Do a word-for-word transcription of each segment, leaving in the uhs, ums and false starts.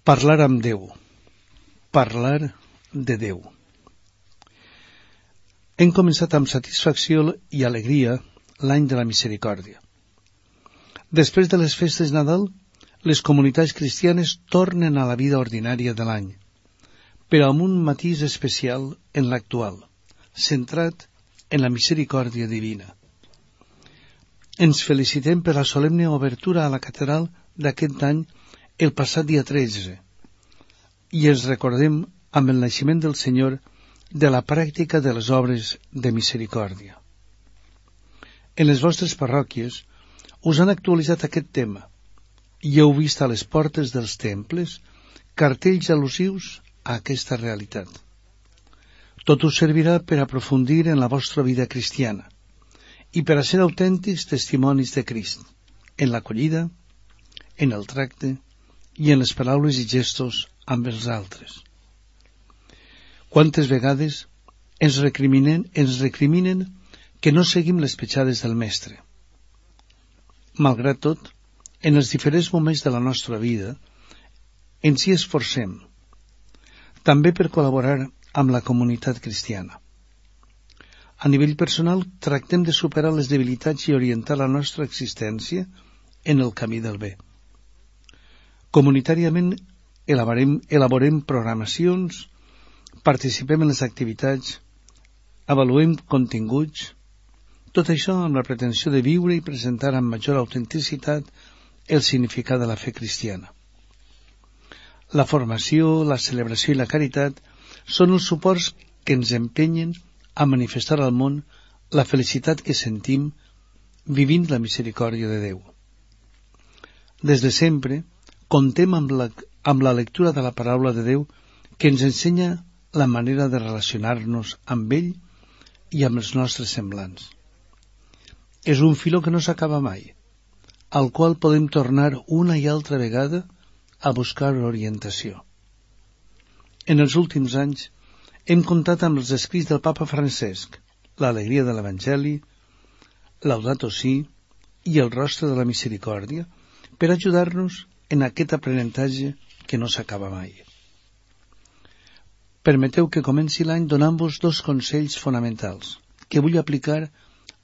Parlar amb Déu. Parlar de Déu. Hem començat amb satisfacció i alegria l'any de la misericòrdia. Després de les festes de Nadal, les comunitats cristianes tornen a la vida ordinària de l'any, però amb un matís especial en l'actual, centrat en la misericòrdia divina. Ens felicitem per la solemne obertura a la catedral d'aquest any el passat dia tretze, i ens recordem amb el naixement del Senyor de la pràctica de les obres de misericòrdia. En les vostres parròquies us han actualitzat aquest tema i heu vist a les portes dels temples cartells al·lusius a aquesta realitat. Tot us servirà per aprofundir en la vostra vida cristiana i per a ser autèntics testimonis de Crist, en l'acollida, en el tracte i en les paraules i gestos amb els altres. Quantes vegades ens recriminen, ens recriminen que no seguim les petjades del Mestre. Malgrat tot, en els diferents moments de la nostra vida, ens hi esforcem, també per col·laborar amb la comunitat cristiana. A nivell personal, tractem de superar les debilitats i orientar la nostra existència en el camí del bé. Comunitàriament elaborem, elaborem programacions, participem en les activitats, avaluem continguts, tot això amb la pretensió de viure i presentar amb major autenticitat el significat de la fe cristiana. La formació, la celebració i la caritat són els suports que ens empenyen a manifestar al món la felicitat que sentim vivint la misericòrdia de Déu. Des de sempre, contem amb la, amb la lectura de la paraula de Déu que ens ensenya la manera de relacionar-nos amb ell i amb els nostres semblants. És un filó que no s'acaba mai, al qual podem tornar una i altra vegada a buscar orientació. En els últims anys hem comptat amb els escrits del Papa Francesc, l'alegria de l'Evangeli, Laudato Si i el rostre de la misericòrdia per ajudar-nos en aquest aprenentatge que no s'acaba mai. Permeteu que comenci l'any donant-vos dos consells fonamentals que vull aplicar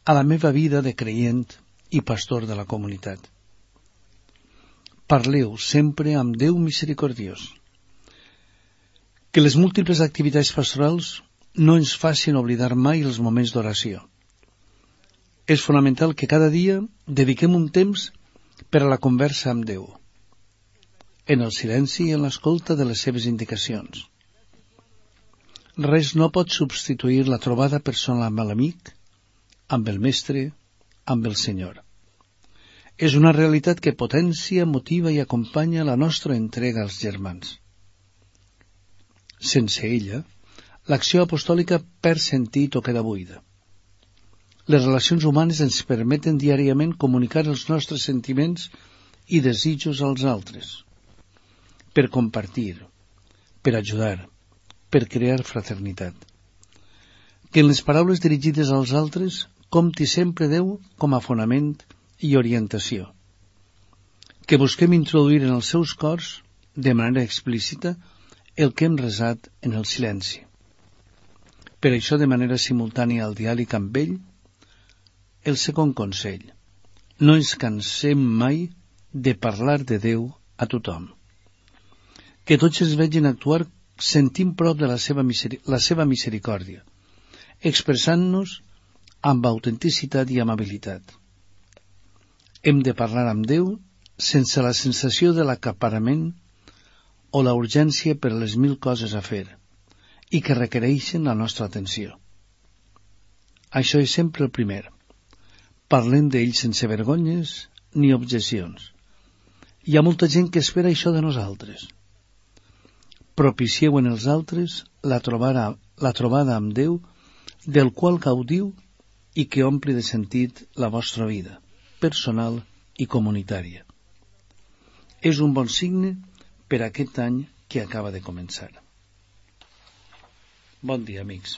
a la meva vida de creient i pastor de la comunitat. Parleu sempre amb Déu misericordiós. Que les múltiples activitats pastorals no ens facin oblidar mai els moments d'oració. És fonamental que cada dia dediquem un temps per a la conversa amb Déu, en el silenci i en l'escolta de les seves indicacions. Res no pot substituir la trobada personal amb l'amic, amb el Mestre, amb el Senyor. És una realitat que potencia, motiva i acompanya la nostra entrega als germans. Sense ella, l'acció apostòlica perd sentit o queda buida. Les relacions humanes ens permeten diàriament comunicar els nostres sentiments i desitjos als altres, per compartir, per ajudar, per crear fraternitat. Que en les paraules dirigides als altres compti sempre Déu com a fonament i orientació. Que busquem introduir en els seus cors, de manera explícita, el que hem resat en el silenci. Per això, de manera simultània al diàleg amb ell, el segon consell: no ens cansem mai de parlar de Déu a tothom. Que tots ens vegin actuar sentint prop de la seva, miseri- la seva misericòrdia, expressant-nos amb autenticitat i amabilitat. Hem de parlar amb Déu sense la sensació de l'acaparament o la urgència per les mil coses a fer i que requereixen la nostra atenció. Això és sempre el primer. Parlem d'ell sense vergonyes ni objeccions. Hi ha molta gent que espera això de nosaltres. Propicieu en els altres la trobada, la trobada amb Déu, del qual gaudiu i que ompli de sentit la vostra vida, personal i comunitària. És un bon signe per a aquest any que acaba de començar. Bon dia, amics.